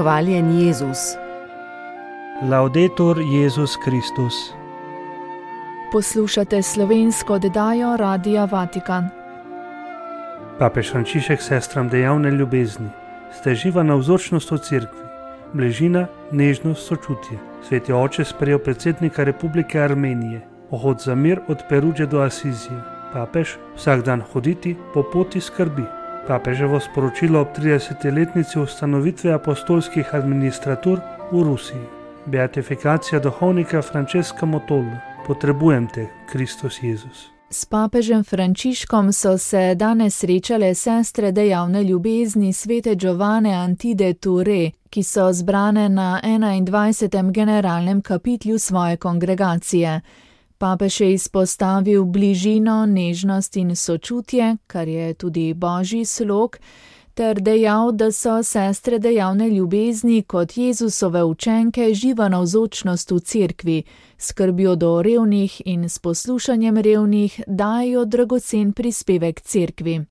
Hvaljen Jezus. Laudetur Jezus Kristus. Poslušate slovensko oddajo Radia Vatikan. Papež Frančišek sestram dejavne ljubezni, ste živa navzočnost v cerkvi, bližina, nežnost, sočutje. Sveti oče sprejel predsednika Republike Armenije, pohod za mir od Peruđe do Asizije. Papež vsak dan hoditi po poti skrbi. Papeževo sporočilo ob 30-letnici ustanovitve apostolskih administratur v Rusiji. Beatifikacija duhovnika Francesca Motola. Potrebujem te, Kristus Jezus. S papežem Frančiškom so se danes srečale sestre dejavne ljubezni svete Giovane Antide Ture, ki so zbrane na 21. generalnem kapitlju svoje kongregacije. Papež je izpostavil bližino, nežnost in sočutje, kar je tudi božji slog, ter dejal, da so sestre dejavne ljubezni kot Jezusove učenke živa navzočnost v cerkvi, skrbijo do revnih in s poslušanjem revnih dajo dragocen prispevek cerkvi.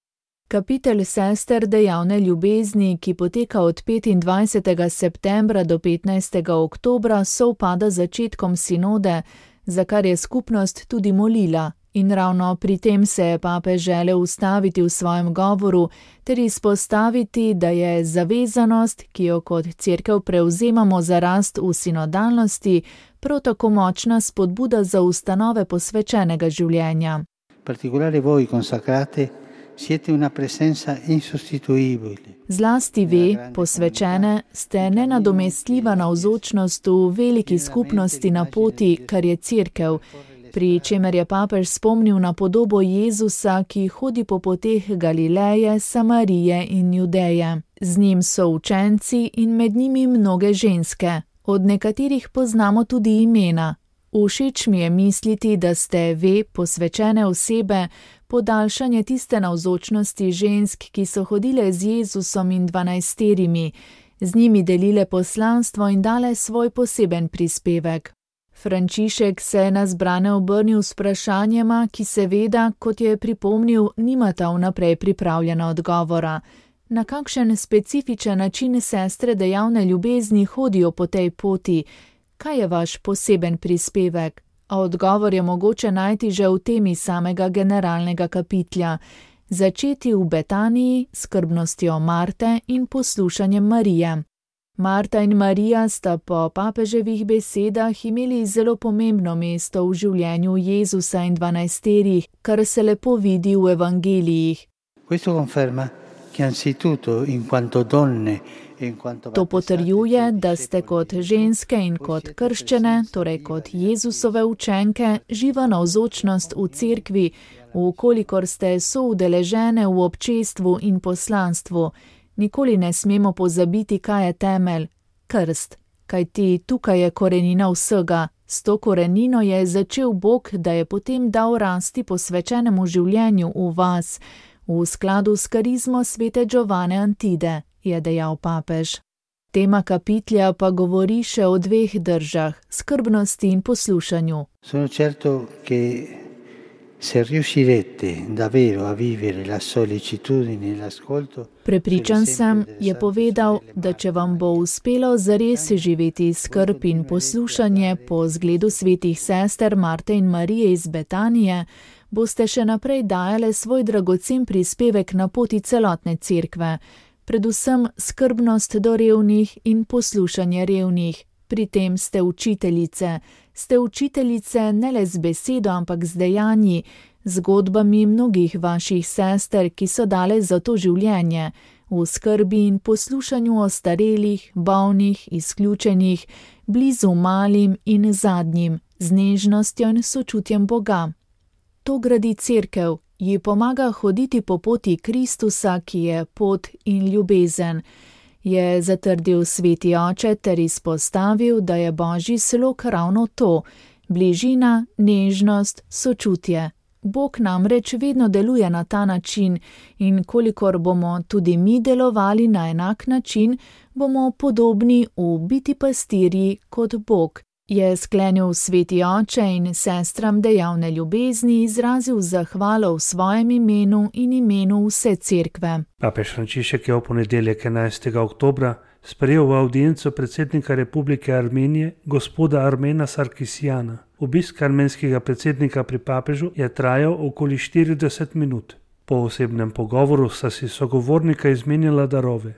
Kapitel sester dejavne ljubezni, ki poteka od 25. septembra do 15. oktobra, sovpada z začetkom sinode, za kar je skupnost tudi molila. In ravno pri tem se je papež želel ustaviti v svojem govoru ter izpostaviti, da je zavezanost, ki jo kot cerkev prevzemamo za rast v sinodalnosti, prav tako močna spodbuda za ustanove posvečenega življenja. Particolare voi consacrate siete una presenza insostituibile. Zlasti vi, posvečene, ste nenadomestljiva navzočnost v veliki skupnosti na poti, kar je cerkev, pri čemer je papež spomnil na podobo Jezusa, ki hodi po poteh Galileje, Samarije in Judeje. Z njim so učenci in med njimi mnoge ženske. Od nekaterih poznamo tudi imena. Všeč mi je misliti, da ste ve, posvečene osebe, podaljšanje tiste navzočnosti žensk, ki so hodile z Jezusom in 12, z njimi delile poslanstvo in dale svoj poseben prispevek. Frančišek se je na zbrane obrnil s vprašanjema, ki seveda, kot je pripomnil, nimata vnaprej pripravljena odgovora. Na kakšen specifičen način sestre dejavne ljubezni hodijo po tej poti? Kaj je vaš poseben prispevek? A odgovor je mogoče najti že v temi samega generalnega kapitlja. Začeti v Betaniji, skrbnostjo Marte in poslušanjem Marije. Marta in Marija sta po papeževih besedah imeli zelo pomembno mesto v življenju Jezusa in 12, kar se lepo vidi v evangelijih. To potrjuje, da ste kot ženske in kot krščene, torej kot Jezusove učenke, živa navzočnost v cerkvi, vkolikor ste soudeležene v občestvu in poslanstvu. Nikoli ne smemo pozabiti, kaj je temelj, krst, kajti tukaj je korenina vsega. S to korenino je začel Bog, da je potem dal rasti posvečenemu življenju v vas, v skladu s karizmo svete Giovane Antide, je dejal papež. Tema kapitlja pa govori še o dveh držah, skrbnosti in poslušanju. Sono certo che se riuscirete davvero a vivere la sollecitudine e l'ascolto. Prepričan sem, je povedal, da če vam bo uspelo zares živeti skrb in poslušanje po zgledu svetih sester Marte in Marije iz Betanije, boste še naprej dajale svoj dragocen prispevek na poti celotne cerkve, predvsem skrbnost do revnih in poslušanje revnih. Pri tem ste učiteljice ne le z besedo, ampak z dejanji, zgodbami mnogih vaših sester, ki so dale za to življenje, v skrbi in poslušanju ostarelih, bolnih, izključenih, blizu malim in zadnjim, z nežnostjo in sočutjem Boga. To gradi cerkev, ji pomaga hoditi po poti Kristusa, ki je pot in ljubezen, je zatrdil sveti oče ter izpostavil, da je božji slog ravno to, bližina, nežnost, sočutje. Bog namreč vedno deluje na ta način in kolikor bomo tudi mi delovali na enak način, bomo podobni v biti pastirji kot Bog, je sklenil sveti oče in sestram dejavne ljubezni izrazil zahvalo v svojem imenu in imenu vse cerkve. Papež Frančišek je v ponedeljek 11. oktobra sprejel v avdienco predsednika Republike Armenije gospoda Armena Sarkisjana. Obisk armenskega predsednika pri papežu je trajal okoli 40 minut. Po osebnem pogovoru sta si sogovornika izmenjala darove.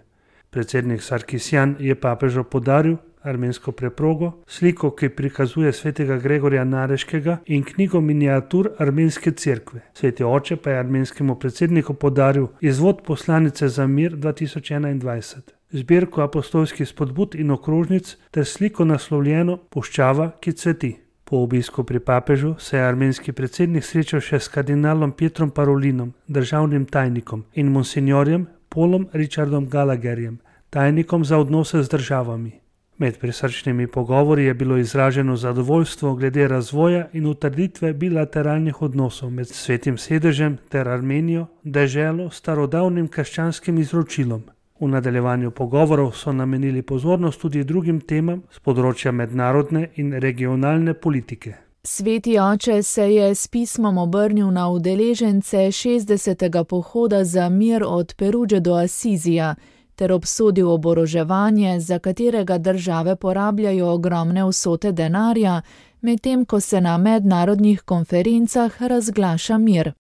Predsednik Sarkisjan je papežu podaril armensko preprogo, sliko, ki prikazuje svetega Gregorja Nareškega in knjigo miniatur armenske cerkve. Sveti oče pa je armenskemu predsedniku podaril izvod poslanice za mir 2021, zbirko apostolskih spodbud in okrožnic ter sliko naslovljeno Puščava, ki cveti. Po obisku pri papežu se je armenski predsednik srečal še s kardinalom Pietrom Parolinom, državnim tajnikom, in monsinjorjem Paulom Richardom Gallagherjem, tajnikom za odnose z državami. Med prisrčnimi pogovori je bilo izraženo zadovoljstvo glede razvoja in utrditve bilateralnih odnosov med Svetim sedežem ter Armenijo, deželo s starodavnim krščanskim izročilom. V nadaljevanju pogovorov so namenili pozornost tudi drugim temam z področja mednarodne in regionalne politike. Sveti oče se je s pismom obrnil na udeležence 60. pohoda za mir od Peruge do Asizija ter obsodil oboroževanje, za katerega države porabljajo ogromne vsote denarja, medtem ko se na mednarodnih konferencah razglaša mir.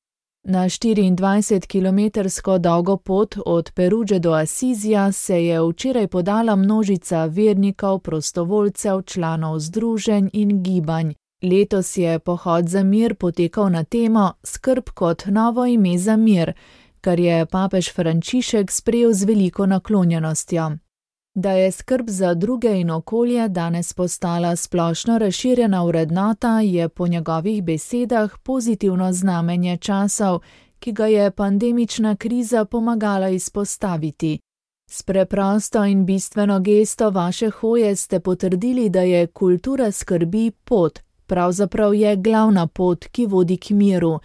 Na 24-kilometrsko dolgo pot od Peruge do Asizija se je včeraj podala množica vernikov, prostovoljcev, članov združenj in gibanj. Letos je pohod za mir potekal na temo Skrb kot novo ime za mir, kar je papež Frančišek sprejel z veliko naklonjenostjo. Da je skrb za druge in okolje danes postala splošno razširjena vrednota, je po njegovih besedah pozitivno znamenje časov, ki ga je pandemična kriza pomagala izpostaviti. S preprosto in bistveno gesto vaše hoje ste potrdili, da je kultura skrbi pot, pravzaprav je glavna pot, ki vodi k miru,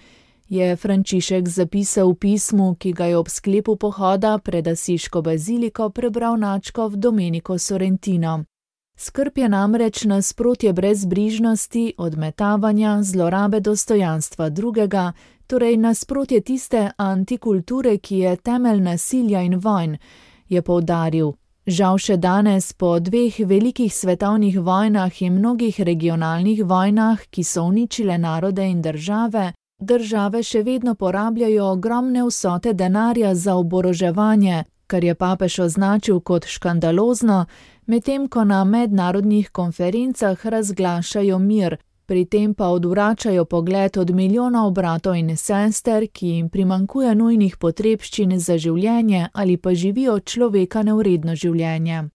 je Frančišek zapisal v pismu, ki ga je ob sklepu pohoda pred Asiško baziliko prebral nadškof Domenico Sorrentino. Skrb je namreč nasprotje brezbrižnosti, odmetavanja, zlorabe dostojanstva drugega, torej nasprotje tiste antikulture, ki je temelj nasilja in vojn, je poudaril. Žal še danes, po 2 velikih svetovnih vojnah in mnogih regionalnih vojnah, ki so uničile narode in države še vedno porabljajo ogromne vsote denarja za oboroževanje, kar je papež označil kot škandalozno, medtem ko na mednarodnih konferencah razglašajo mir, pri tem pa odvračajo pogled od milijonov bratov in sester, ki jim primanjkuje nujnih potrebščin za življenje ali pa živijo človeka nevredno življenje.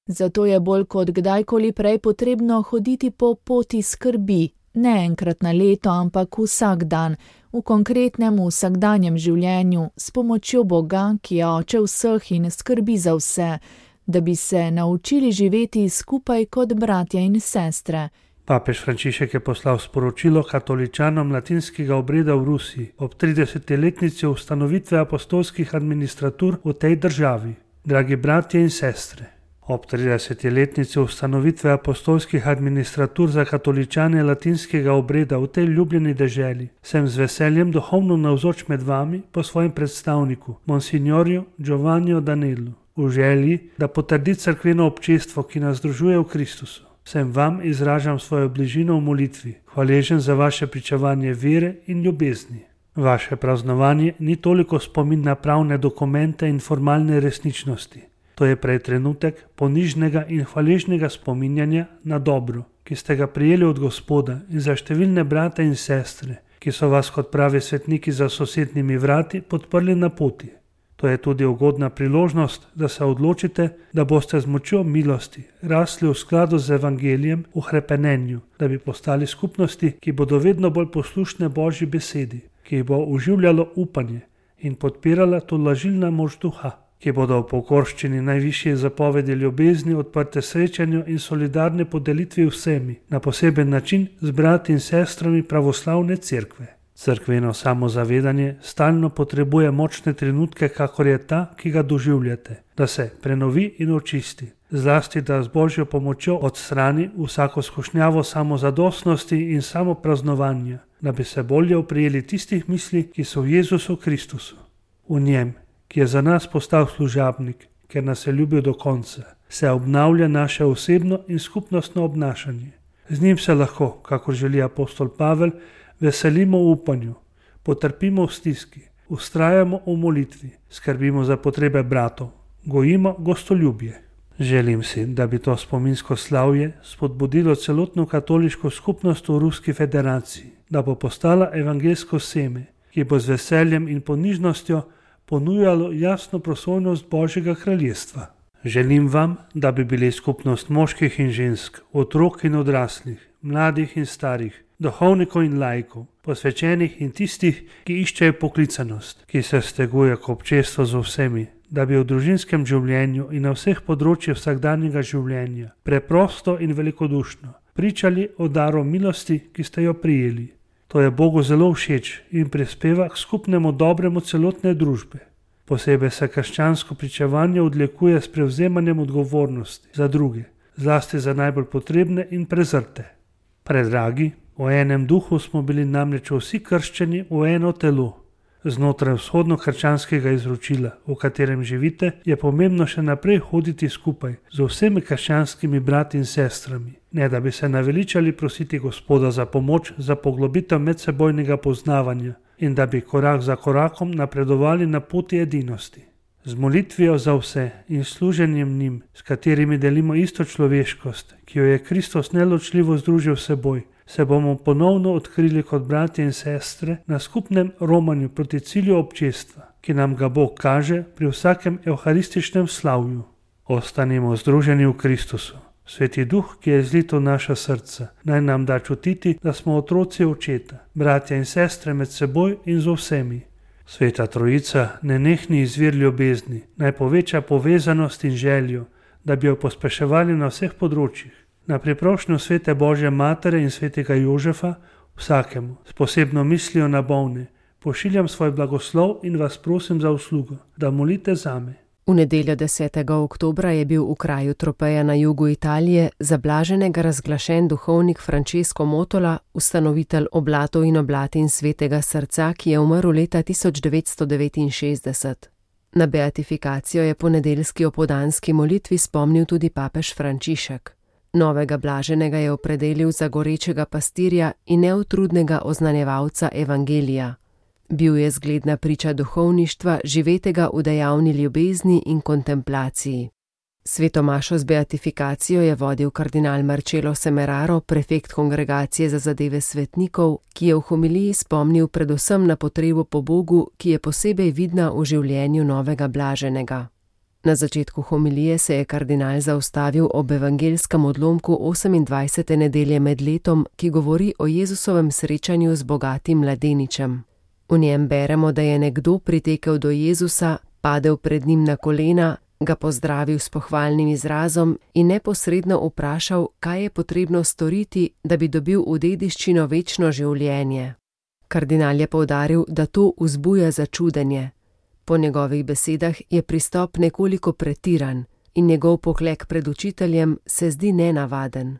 Zato je bolj kot kdajkoli prej potrebno hoditi po poti skrbi, ne enkrat na leto, ampak vsak dan, v konkretnem vsakdanjem življenju, s pomočjo Boga, ki je oče vseh in skrbi za vse, da bi se naučili živeti skupaj kot bratje in sestre. Papež Frančišek je poslal sporočilo katoličanom latinskega obreda v Rusiji ob 30-letnici ustanovitve apostolskih administratur v tej državi. Dragi bratje in sestre, ob 30-letnici ustanovitve apostolskih administratur za katoličane latinskega obreda v tej ljubljeni deželi sem z veseljem duhovno navzoč med vami po svojem predstavniku, monsignorju Giovanniu Danellu, v želji, da potrdi cerkveno občestvo, ki nas združuje v Kristusu. Sem vam izražam svojo bližino v molitvi, hvaležen za vaše pričevanje vere in ljubezni. Vaše praznovanje ni toliko spomin na pravne dokumente in formalne resničnosti. To je prej trenutek ponižnega in hvaležnega spominjanja na dobro, ki ste ga prijeli od Gospoda, in za številne brate in sestre, ki so vas kot pravi svetniki za sosednjimi vrati podprli na poti. To je tudi ugodna priložnost, da se odločite, da boste z močjo milosti rasli v skladu z evangelijem v hrepenenju, da bi postali skupnosti, ki bodo vedno bolj poslušne Božji besedi, ki jih bo oživljalo upanje in podpirala tolažilna moč duha, ki bodo v pokorščini najvišje zapovedi ljubezni odprte srečanju in solidarne podelitvi vsemi, na poseben način z brati in sestrami pravoslavne cerkve. Cerkveno samozavedanje stalno potrebuje močne trenutke, kakor je ta, ki ga doživljate, da se prenovi in očisti, zlasti da z Božjo pomočjo odstrani vsako skušnjavo samozadostnosti in samopraznovanja, da bi se bolje oprijeli tistih misli, ki so v Jezusu Kristusu. V njem, ki je za nas postal služabnik, ker nas je ljubil do konca, se obnavlja naše osebno in skupnostno obnašanje. Z njim se lahko, kakor želi apostol Pavel, veselimo v upanju, potrpimo v stiski, vztrajamo v molitvi, skrbimo za potrebe bratov, gojimo gostoljubje. Želim si, da bi to spominsko slavje spodbudilo celotno katoliško skupnost v Ruski federaciji, da bo postala evangelsko seme, ki bo z veseljem in ponižnostjo ponujalo jasno prosojnost Božjega kraljestva. Želim vam, da bi bili skupnost moških in žensk, otrok in odraslih, mladih in starih, duhovnikov in laikov, posvečenih in tistih, ki iščejo poklicanost, ki se steguje k občestvu z vsemi, da bi v družinskem življenju in na vseh področjih vsakdanjega življenja preprosto in velikodušno pričali o daru milosti, ki ste jo prijeli. To je Bogu zelo všeč in prispeva k skupnemu dobremu celotne družbe. Posebej se krščansko pričevanje odlikuje s prevzemanjem odgovornosti za druge, zlasti za najbolj potrebne in prezrte. Predragi, v enem duhu smo bili namreč vsi krščeni v eno telo. Znotraj vzhodno-krščanskega izročila, v katerem živite, je pomembno še naprej hoditi skupaj z vsemi krščanskimi brati in sestrami, ne da bi se naveličali prositi Gospoda za pomoč za poglobitev medsebojnega poznavanja in da bi korak za korakom napredovali na poti edinosti. Z molitvijo za vse in služenjem njim, s katerimi delimo isto človeškost, ki jo je Kristus neločljivo združil s seboj, se bomo ponovno odkrili kot bratje in sestre na skupnem romanju proti cilju občestva, ki nam ga Bog kaže pri vsakem evharističnem slavju. Ostanimo združeni v Kristusu. Sveti Duh, ki je zlit v naša srca, naj nam da čutiti, da smo otroci očeta, bratja in sestre med seboj in z vsemi. Sveta Trojica, nenehni izvir ljubezni, naj poveča povezanost in željo, da bi jo pospeševali na vseh področjih. Na priprošnjo Svete Božje Matere in Svetega Jožefa, vsakemu, s posebno mislijo na bolne, pošiljam svoj blagoslov in vas prosim za uslugo, da molite zame. V nedeljo 10. oktobra je bil v kraju Tropeja na jugu Italije za blaženega razglašen duhovnik Francesco Motola, ustanovitelj Oblatov in oblatin Svetega srca, ki je umrl leta 1969. Na beatifikacijo je po nedeljski opoldanski molitvi spomnil tudi papež Frančišek. Novega blaženega je opredelil za gorečega pastirja in neutrudnega oznanjevalca evangelija. Bil je zgledna priča duhovništva, živetega v dejavni ljubezni in kontemplaciji. Sveto mašo z beatifikacijo je vodil kardinal Marcello Semeraro, prefekt Kongregacije za zadeve svetnikov, ki je v homiliji spomnil predvsem na potrebo po Bogu, ki je posebej vidna v življenju novega blaženega. Na začetku homilije se je kardinal zaustavil ob evangelskem odlomku 28. nedelje med letom, ki govori o Jezusovem srečanju z bogatim mladeničem. V njem beremo, da je nekdo pritekel do Jezusa, padel pred njim na kolena, ga pozdravil s pohvalnim izrazom in neposredno vprašal, kaj je potrebno storiti, da bi dobil v dediščino večno življenje. Kardinal je poudaril, da to vzbuja začudenje. Po njegovih besedah je pristop nekoliko pretiran in njegov poklek pred učiteljem se zdi nenavaden.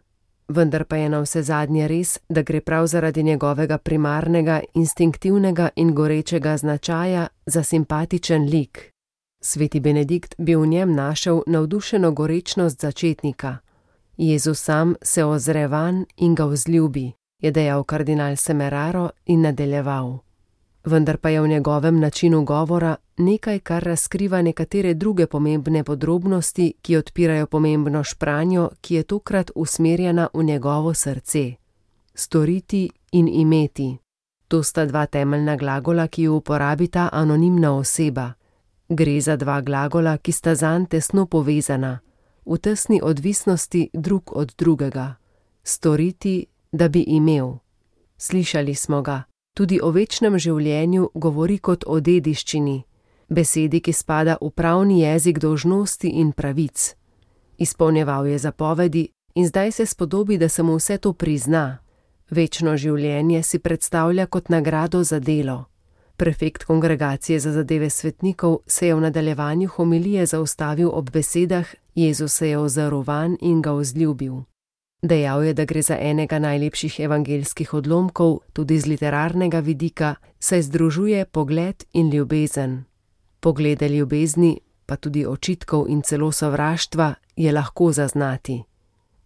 Vendar pa je navsezadnje res, da gre prav zaradi njegovega primarnega, instinktivnega in gorečega značaja za simpatičen lik. Sveti Benedikt bi v njem našel navdušeno gorečnost začetnika. Jezus sam se ozre vanj in ga vzljubi, je dejal kardinal Semeraro in nadaljeval. Vendar pa je v njegovem načinu govora nekaj, kar razkriva nekatere druge pomembne podrobnosti, ki odpirajo pomembno špranjo, ki je tokrat usmerjena v njegovo srce. Storiti in imeti. To sta dva temeljna glagola, ki ju uporabita anonimna oseba. Gre za dva glagola, ki sta zanj tesno povezana, v tesni odvisnosti drug od drugega. Storiti, da bi imel. Slišali smo ga. Tudi o večnem življenju govori kot o dediščini, besedi, ki spada v pravni jezik dolžnosti in pravic. Izpolnjeval je zapovedi in zdaj se spodobi, da se mu vse to prizna. Večno življenje si predstavlja kot nagrado za delo. Prefekt Kongregacije za zadeve svetnikov se je v nadaljevanju homilije zaustavil ob besedah: Jezus se je ozrl vanj in ga vzljubil. Dejal je, da gre za enega najlepših evangeljskih odlomkov, tudi z literarnega vidika, saj združuje pogled in ljubezen. Poglede ljubezni, pa tudi očitkov in celo sovraštva, je lahko zaznati.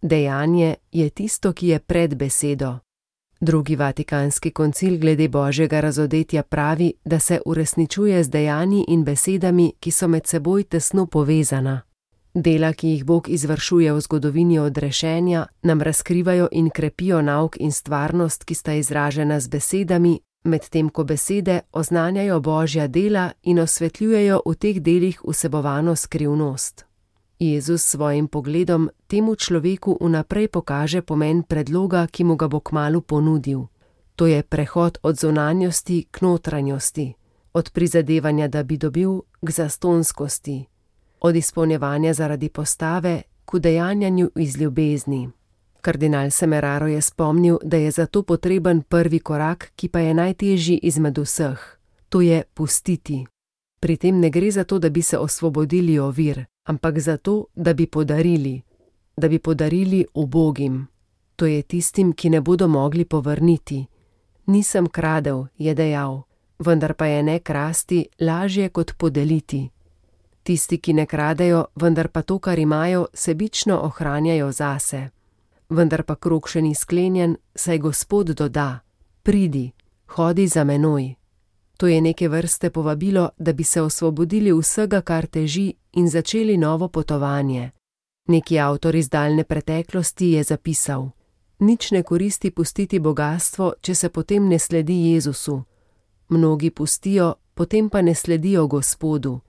Dejanje je tisto, ki je pred besedo. Drugi vatikanski koncil glede božjega razodetja pravi, da se uresničuje z dejanji in besedami, ki so med seboj tesno povezana. Dela, ki jih Bog izvršuje v zgodovini odrešenja, nam razkrivajo in krepijo nauk in stvarnost, ki sta izražena z besedami, medtem ko besede oznanjajo božja dela in osvetljujejo v teh delih vsebovano skrivnost. Jezus s svojim pogledom temu človeku vnaprej pokaže pomen predloga, ki mu ga bo kmalu ponudil. To je prehod od zunanjosti k notranjosti, od prizadevanja, da bi dobil, k zastonskosti, od izpolnjevanja zaradi postave k udejanjanju iz ljubezni. Kardinal Semeraro je spomnil, da je zato potreben prvi korak, ki pa je najtežji izmed vseh. To je pustiti. Pri tem ne gre za to, da bi se osvobodili ovir, ampak zato, da bi podarili ubogim. To je tistim, ki ne bodo mogli povrniti. Nisem kradel, je dejal, vendar pa je ne krasti lažje kot podeliti. Tisti, ki ne kradejo, vendar pa to, kar imajo, sebično ohranjajo zase. Vendar pa krog še ni sklenjen, saj Gospod doda: pridi, hodi za menoj. To je neke vrste povabilo, da bi se osvobodili vsega, kar teži, in začeli novo potovanje. Neki avtor iz daljne preteklosti je zapisal: nič ne koristi pustiti bogastvo, če se potem ne sledi Jezusu. Mnogi pustijo, potem pa ne sledijo Gospodu.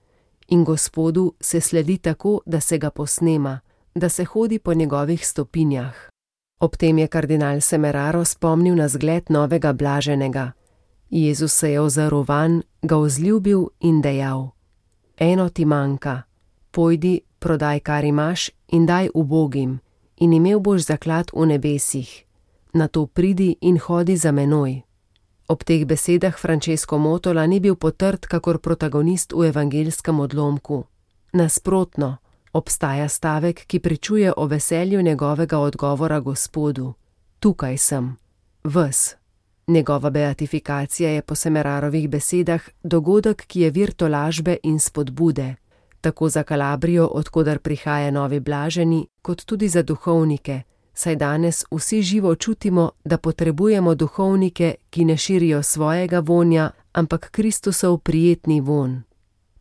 In Gospodu se sledi tako, da se ga posnema, da se hodi po njegovih stopinjah. Ob tem je kardinal Semeraro spomnil na zgled novega blaženega. Jezus se je ozrl vanj, ga vzljubil in dejal: eno ti manjka, pojdi, prodaj, kar imaš, in daj ubogim, in imel boš zaklad v nebesih. Nato pridi in hodi za menoj. Ob teh besedah Francesco Motola ni bil potrt kakor protagonist v evangeljskem odlomku. Nasprotno, obstaja stavek, ki pričuje o veselju njegovega odgovora Gospodu: tukaj sem, ves. Njegova beatifikacija je po Semerarovih besedah dogodek, ki je vir tolažbe in spodbude, tako za Kalabrijo, odkoder prihaja novi blaženi, kot tudi za duhovnike, saj danes vsi živo čutimo, da potrebujemo duhovnike, ki ne širijo svojega vonja, ampak Kristusov prijetni vonj.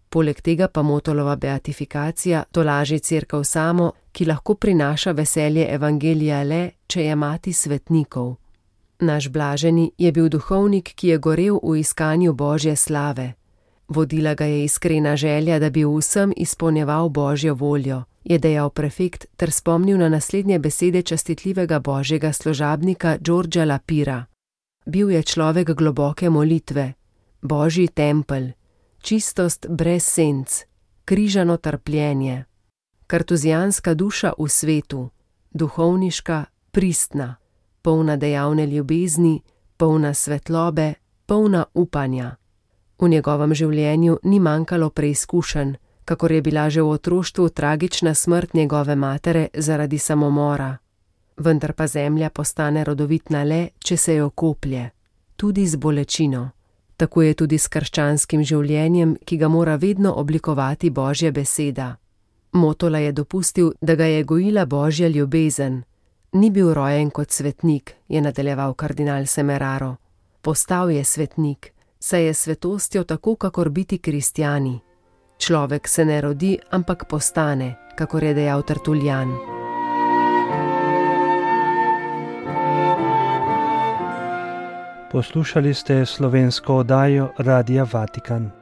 Poleg tega pa Motolova beatifikacija tolaži Cerkev samo, ki lahko prinaša veselje evangelija le, če je mati svetnikov. Naš blaženi je bil duhovnik, ki je gorel v iskanju Božje slave. Vodila ga je iskrena želja, da bi vsem izpolnjeval Božjo voljo, je dejal prefekt ter spomnil na naslednje besede častitljivega božjega služabnika Giorgia Lapira. Bil je človek globoke molitve, Božji tempelj, čistost brez senc, križano trpljenje, kartuzijanska duša v svetu, duhovniška, pristna, polna dejavne ljubezni, polna svetlobe, polna upanja. V njegovem življenju ni manjkalo preizkušenj, kakor je bila že v otroštvu tragična smrt njegove matere zaradi samomora. Vendar pa zemlja postane rodovitna le, če se jo koplje, tudi z bolečino. Tako je tudi s krščanskim življenjem, ki ga mora vedno oblikovati Božja beseda. Motola je dopustil, da ga je gojila Božja ljubezen. Ni bil rojen kot svetnik, je nadaljeval kardinal Semeraro. Postal je svetnik, saj je svetostjo tako, kakor biti kristjani. Človek se ne rodi, ampak postane, kakor je dejal Tertuljan. Poslušali ste slovensko oddajo Radia Vatikan.